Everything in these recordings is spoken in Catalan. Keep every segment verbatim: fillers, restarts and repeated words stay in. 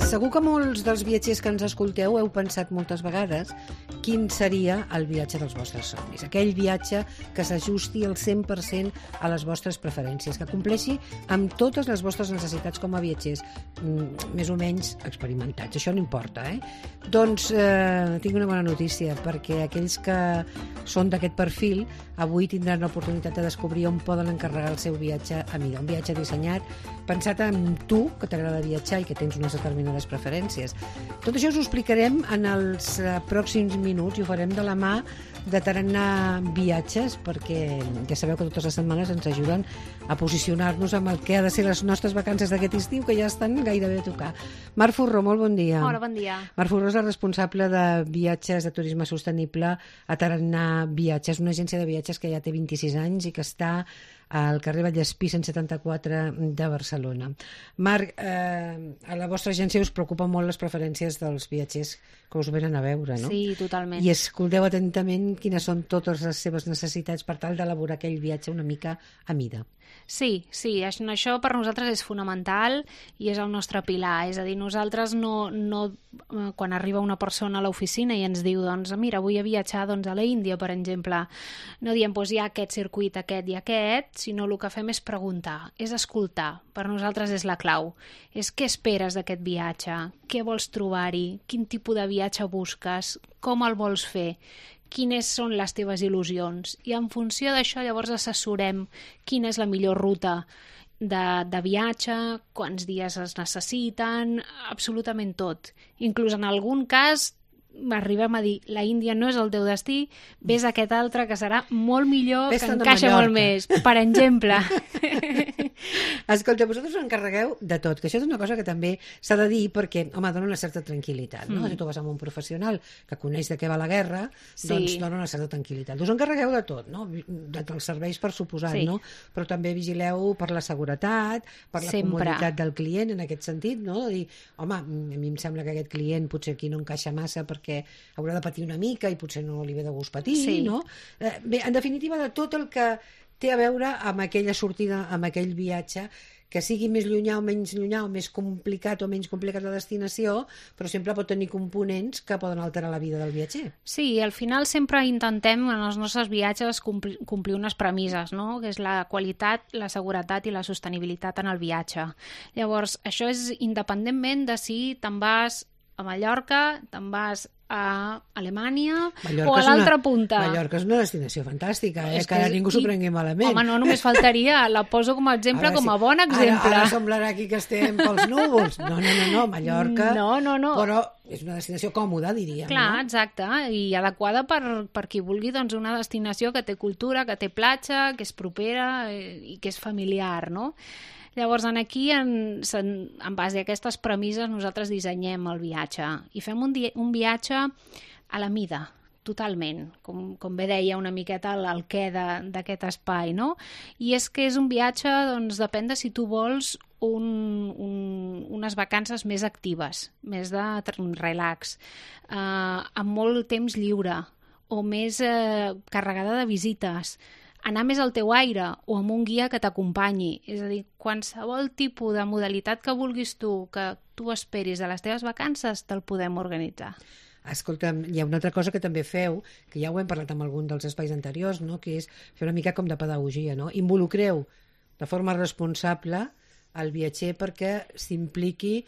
Segur que molts dels viatgers que ens escolteu heu pensat moltes vegades quin seria el viatge dels vostres somnis. Aquell viatge que s'ajusti al cent per cent a les vostres preferències, que compleixi amb totes les vostres necessitats com a viatgers, més o menys experimentats. Això no importa, eh? Doncs eh, tinc una bona notícia, perquè aquells que són d'aquest perfil avui tindran l'oportunitat de descobrir on poden encarregar el seu viatge a mida. Un viatge dissenyat, pensat en tu, que t'agrada viatjar i que tens unes determinades preferències. Tot això us ho explicarem en els pròxims minuts i ho farem de la mà de Tarannà Viatges, perquè ja sabeu que totes les setmanes ens ajuden a posicionar-nos amb el que ha de ser les nostres vacances d'aquest estiu, que ja estan gairebé a tocar. Marc Forró, molt bon dia. Hola, bon dia. Marc Forró és la responsable de viatges de turisme sostenible a Tarannà Viatges, una agència de viatges que ja té vint-i-sis anys i que està al carrer Vallespí cent setanta-quatre de Barcelona. Marc, eh, a la vostra agència us preocupen molt les preferències dels viatgers que us venen a veure, no? Sí, totalment. I escolteu atentament quines són totes les seves necessitats per tal d'elaborar aquell viatge una mica a mida. Sí, sí, això per nosaltres és fonamental i és el nostre pilar. És a dir, nosaltres no, no quan arriba una persona a l'oficina i ens diu, doncs, mira, vull viatjar doncs, a l'Índia, per exemple, no diem, doncs hi ha aquest circuit, aquest i aquest, sinó el que fem és preguntar, és escoltar. Per nosaltres és la clau. És què esperes d'aquest viatge? Què vols trobar-hi? Quin tipus de viatge busques? Com el vols fer? Quines són les teves il·lusions? I en funció d'això llavors assessorem quina és la millor ruta de, de viatge, quants dies es necessiten, absolutament tot. Inclús en algun cas arribem a dir, la Índia no és el teu destí, ves a aquest altre que serà molt millor, Ves que a encaixa Mallorca. molt més, per exemple. Escolta, vosaltres us encarregueu de tot, que això és una cosa que també s'ha de dir perquè, home, dona una certa tranquil·litat, no? Mm. Si tu vas amb un professional que coneix de què va la guerra, Sí. doncs dona una certa tranquil·litat. Us encarregueu de tot, no? De, dels serveis per suposat, Sí. no? Però també vigileu per la seguretat, per la Sempre. comoditat del client, en aquest sentit, no? De dir, home, a mi em sembla que aquest client potser aquí no encaixa massa perquè haurà de patir una mica i potser no li ve de gust patir, Sí. no? Eh, bé, en definitiva, de tot el que té a veure amb aquella sortida, amb aquell viatge, que sigui més llunyà o menys llunyà, o més complicat o menys complicat la destinació, però sempre pot tenir components que poden alterar la vida del viatger. Sí, al final sempre intentem en els nostres viatges complir, complir unes premisses, no? Que és la qualitat, la seguretat i la sostenibilitat en el viatge. Llavors, això és independentment de si te'n vas a Mallorca, te'n vas a Alemanya Mallorca o a és una- l'altra punta. Mallorca és una destinació fantàstica, eh? És que ara és- ningú s'ho i- prengui malament. Home, no, només faltaria. La poso com a exemple, Ara com a sí. bon exemple. Ara, ara semblarà aquí que estem pels núvols. No, no, no, no, Mallorca... No, no, no. Però és una destinació còmoda, diríem. Clar, no? exacte, i adequada per, per qui vulgui doncs, una destinació que té cultura, que té platja, que és propera eh, i que és familiar, no? Llavors, en aquí, en, en, en base a aquestes premisses, nosaltres dissenyem el viatge i fem un, di un viatge a la mida, totalment, com, com bé deia una miqueta el, el què d'aquest espai, no? I és que és un viatge, doncs, depèn de si tu vols un, un, unes vacances més actives, més de relax, eh, amb molt temps lliure o més eh, carregada de visites, anar més al teu aire o amb un guia que t'acompanyi. És a dir, qualsevol tipus de modalitat que vulguis tu, que tu esperis de les teves vacances, te'l podem organitzar. Escolta, hi ha una altra cosa que també feu, que ja ho hem parlat amb algun dels espais anteriors, no? Que és fer una mica com de pedagogia, no? Involucreu de forma responsable el viatger perquè s'impliqui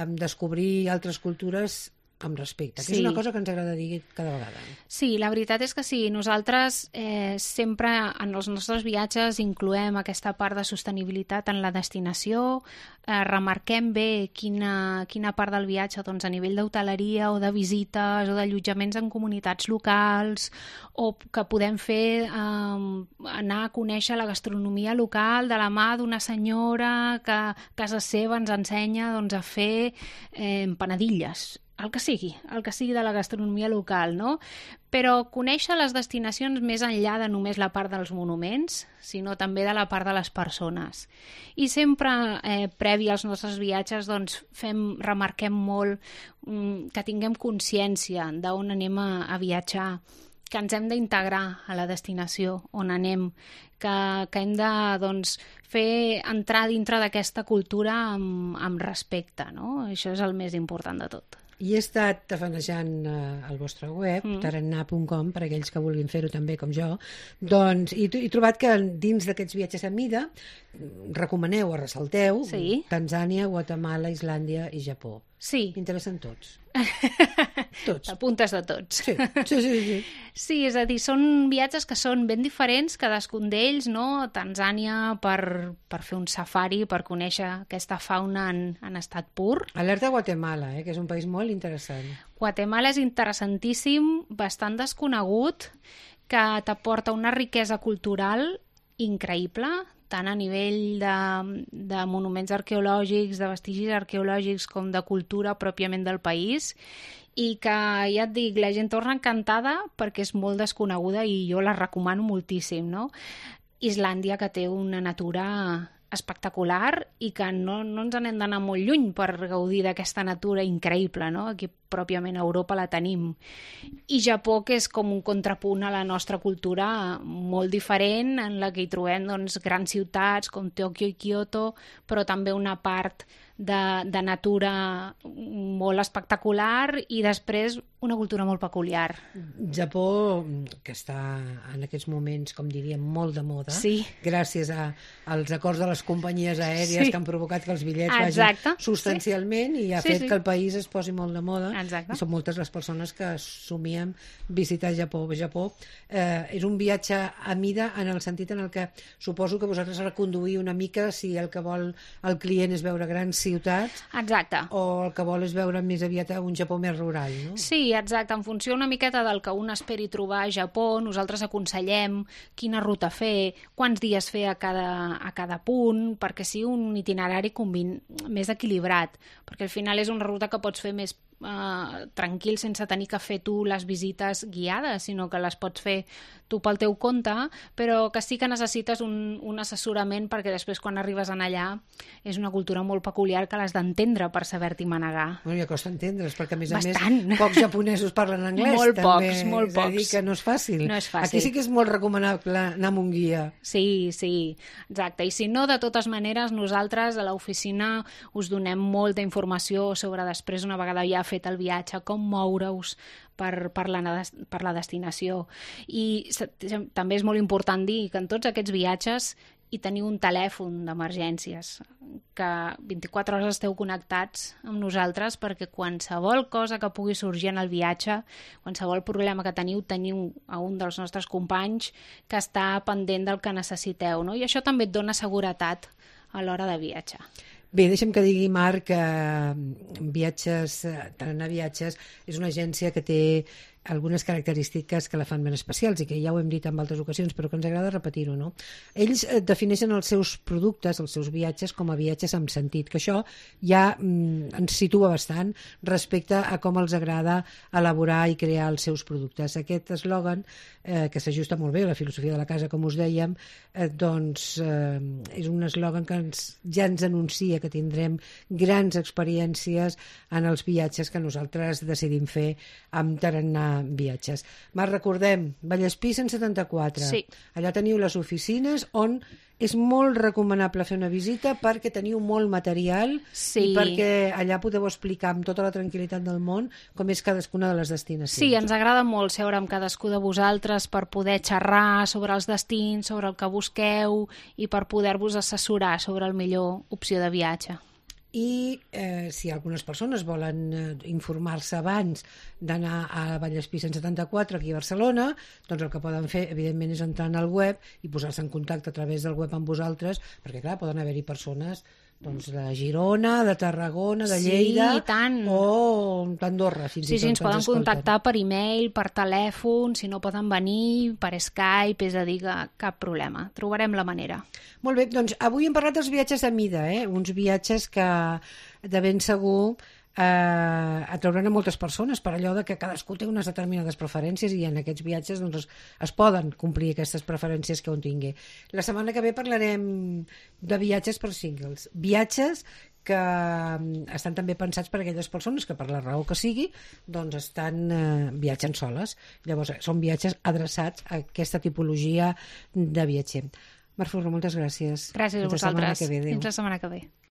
en descobrir altres cultures amb respecte, que Sí. és una cosa que ens agrada dir cada vegada. Sí, la veritat és que sí. Nosaltres eh, sempre en els nostres viatges incloem aquesta part de sostenibilitat en la destinació, eh, remarquem bé quina, quina part del viatge doncs, a nivell d'hoteleria o de visites o d'allotjaments en comunitats locals o que podem fer eh, anar a conèixer la gastronomia local de la mà d'una senyora que a casa seva ens ensenya doncs, a fer eh, empanadilles, el que sigui, el que sigui de la gastronomia local, no? Però conèixer les destinacions més enllà de només la part dels monuments, sinó també de la part de les persones. I sempre, eh, previ als nostres viatges, doncs, fem, remarquem molt mm, que tinguem consciència d'on anem a, a viatjar, que ens hem d'integrar a la destinació on anem, que, que hem de doncs, fer entrar dintre d'aquesta cultura amb, amb respecte, no? Això és el més important de tot. I he estat tafanejant eh, el vostre web, mm. tarannà punt com, per aquells que vulguin fer-ho també com jo, doncs, i he trobat que dins d'aquests viatges a mida recomaneu o ressalteu sí. Tanzània, Guatemala, Islàndia i Japó. Sí. M'interessen tots. Tots. Apuntes de tots. Sí, sí, sí, sí. Sí, és a dir, són viatges que són ben diferents, cadascun d'ells, no? Tanzània per, per fer un safari, per conèixer aquesta fauna en, en estat pur. Alerta a Guatemala, eh, que és un país molt interessant. Guatemala és interessantíssim, bastant desconegut, que t'aporta una riquesa cultural increïble, tant a nivell de, de monuments arqueològics, de vestigis arqueològics, com de cultura pròpiament del país, i que, ja et dic, la gent torna encantada perquè és molt desconeguda i jo la recomano moltíssim, no? Islàndia, que té una natura espectacular i que no, no ens n'hem d'anar molt lluny per gaudir d'aquesta natura increïble, no? Aquí pròpiament a Europa la tenim. I Japó, que és com un contrapunt a la nostra cultura molt diferent, en la que hi trobem doncs, grans ciutats com Tòquio i Kyoto, però també una part de, de natura molt espectacular i després una cultura molt peculiar. Japó, que està en aquests moments, com diríem, molt de moda, sí. gràcies a, als acords de les companyies aèries sí. que han provocat que els bitllets Exacte. vagin substancialment sí. i ha sí, fet sí. que el país es posi molt de moda. Exacte. I són moltes les persones que somiem visitar Japó. Japó eh, és un viatge a mida en el sentit en el que suposo que vosaltres reconduïu una mica si el que vol el client és veure grans ciutats exacte. O el que vol és veure més aviat un Japó més rural, no? Sí, exacte. En funció una miqueta del que un esperi trobar a Japó, nosaltres aconsellem quina ruta fer, quants dies fer a cada, a cada punt, perquè sigui un itinerari combin... més equilibrat, perquè al final és una ruta que pots fer més Uh, tranquil, sense tenir que fer tu les visites guiades, sinó que les pots fer tu pel teu compte, però que sí que necessites un, un assessorament perquè després quan arribes en allà és una cultura molt peculiar que l'has d'entendre per saber-t'hi manegar. Bueno, ja costa entendre's, perquè a més a Bastant. més pocs japonesos parlen anglès. Molt també. pocs, molt és pocs. És a dir, que no és fàcil. No és fàcil. Aquí sí que és molt recomanable anar amb un guia. Sí, sí, exacte. I si no, de totes maneres, nosaltres a l'oficina us donem molta informació sobre després, una vegada ja fet el viatge, com moure-us per, per, la, per la destinació. I també és molt important dir que en tots aquests viatges hi teniu un telèfon d'emergències, que vint-i-quatre hores esteu connectats amb nosaltres perquè qualsevol cosa que pugui sorgir en el viatge, qualsevol problema que teniu, teniu a un dels nostres companys que està pendent del que necessiteu, no? I això també et dona seguretat a l'hora de viatjar. Bé, deixa'm que digui, Marc, que Viatges, Tarannà Viatges és una agència que té algunes característiques que la fan ben especials i que ja ho hem dit en altres ocasions, però que ens agrada repetir-ho, no? Ells defineixen els seus productes, els seus viatges, com a viatges amb sentit, que això ja mm, ens situa bastant respecte a com els agrada elaborar i crear els seus productes. Aquest eslògan, eh, que s'ajusta molt bé a la filosofia de la casa, com us dèiem, eh, doncs eh, és un eslògan que ens, ja ens anuncia que tindrem grans experiències en els viatges que nosaltres decidim fer amb Tarannà Viatges. Marc, recordem, Vallespí cent setanta-quatre. Sí. Allà teniu les oficines on és molt recomanable fer una visita perquè teniu molt material sí. i perquè allà podeu explicar amb tota la tranquil·litat del món com és cadascuna de les destinacions. Sí, ens agrada molt seure amb cadascú de vosaltres per poder xerrar sobre els destins, sobre el que busqueu i per poder-vos assessorar sobre el millor opció de viatge. I eh, si algunes persones volen eh, informar-se abans d'anar a Vallespí cent setanta-quatre aquí a Barcelona, doncs el que poden fer evidentment és entrar en el web i posar-se en contacte a través del web amb vosaltres, perquè clar, poden haver-hi persones doncs, de Girona, de Tarragona, de Lleida sí, tant. O d'Andorra fins sí, i tot. Sí, ens poden contactar per e-mail, per telèfon, si no poden venir, per Skype, és a dir, que cap problema, trobarem la manera. Molt bé, doncs avui hem parlat dels viatges a mida, eh? Uns viatges que de ben segur eh, atrauran a moltes persones per allò de que cadascú té unes determinades preferències i en aquests viatges doncs, es, es poden complir aquestes preferències que un tingui. La setmana que ve parlarem de viatges per singles, viatges que estan també pensats per a aquelles persones que per la raó que sigui doncs estan eh, viatjant soles. Llavors són viatges adreçats a aquesta tipologia de viatger. Mar Furro, moltes gràcies. Gràcies a Fins la setmana vosaltres. que ve. Adéu. Fins la setmana que ve.